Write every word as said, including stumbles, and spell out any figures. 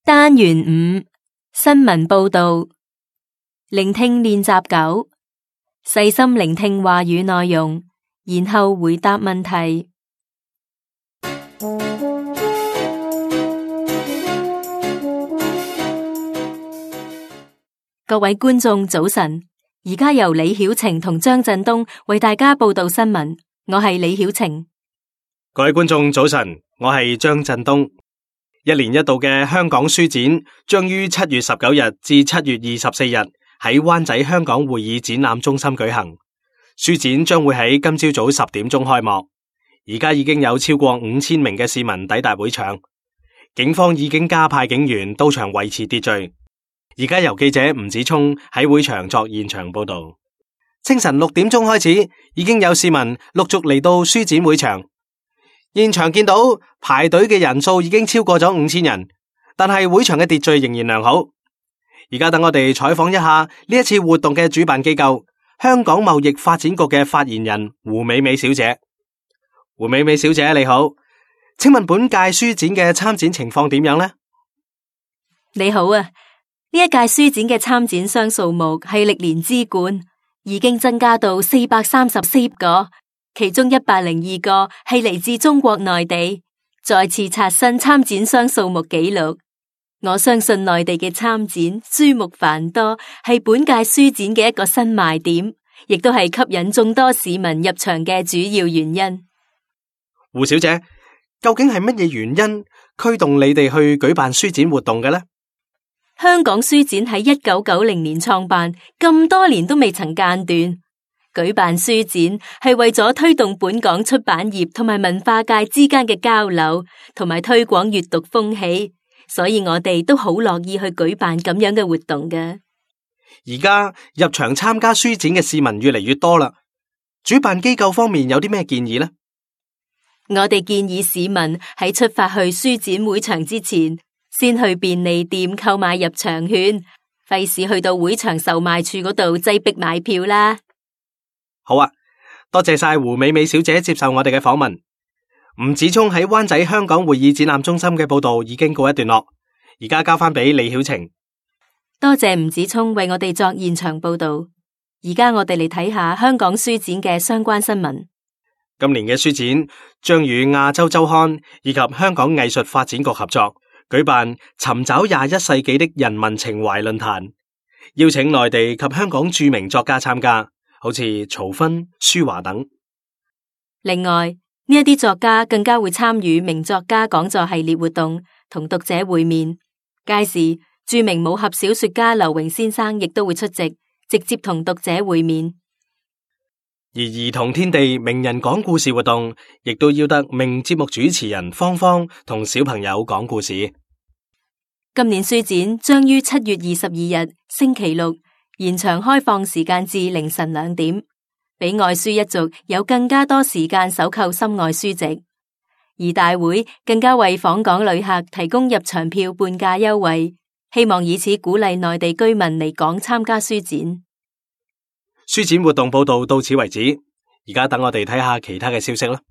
單元五新聞報道，聆聽練習九，細心聆聽話語內容，然後回答問題。各位觀眾早晨，而家由李曉晴同張振東為大家報道新聞。我係李曉晴。各位觀眾早晨，我係張振東。一年一度嘅香港書展將於七月十九日至七月二十四日喺灣仔香港會議展覽中心舉行。書展將會喺今朝早十點鐘開幕。而家已經有超過五千名嘅市民抵達會場，警方已經加派警員到場維持秩序。而家由記者吳子聰喺會場作現場報道。清晨六點鐘開始，已經有市民陸續嚟到書展會場。現場見到排隊嘅人數已經超過咗五千人，但係會場嘅秩序仍然良好。而家等我哋採訪一下呢一次活動嘅主辦機構香港貿易發展局嘅發言人胡美美小姐。胡美美小姐你好，請問本屆書展嘅參展情況點樣呢？你好啊，呢一屆書展嘅參展商數目係歷年之冠，已經增加到四百三十四個。其中一百零二個係嚟自中國內地，再次刷新參展商數目紀錄。我相信內地嘅參展書目繁多，係本屆書展嘅一個新賣點，亦都係吸引眾多市民入場嘅主要原因。胡小姐，究竟係乜嘢原因驅動你哋去舉辦書展活動嘅呢？香港書展喺一九九零年創辦，咁多年都未曾間斷。舉辦書展係為咗推動本港出版業同埋文化界之間嘅交流，同埋推廣閱讀風氣，所以我哋都好樂意去舉辦咁樣嘅活動嘅。而家入場參加書展嘅市民越嚟越多啦，主辦機構方面有啲咩建議呢？我哋建議市民喺出發去書展會場之前，先去便利店購買入場券，費事去到會場售賣處嗰度擠逼買票啦。好啊，多謝晒胡美美小姐接受我哋嘅訪問。吳子聰喺灣仔香港會議展覽中心嘅報道已經告一段落，而家交翻俾李曉晴。多謝吳子聰為我哋作現場報道。而家我哋嚟睇下香港書展嘅相關新聞。今年嘅書展將與亞洲週刊以及香港藝術發展局合作舉辦尋找廿一世紀的人民情懷論壇，邀請內地及香港著名作家參加，好似曹薰、舒華等。另外，呢一啲作家更加會參與名作家講座系列活動，同讀者會面。屆時，著名武俠小說家劉榮先生亦都會出席，直接同讀者會面。而兒童天地名人講故事活動，亦都邀得名節目主持人芳芳同小朋友講故事。今年書展將於七月二十二日星期六延長開放時間至凌晨兩點，俾愛書一族有更加多時間搜購心愛書籍。而大會更加為訪港旅客提供入場票半價優惠，希望以此鼓勵內地居民嚟港參加書展。書展活動報道到此為止，而家等我哋睇下其他嘅消息啦。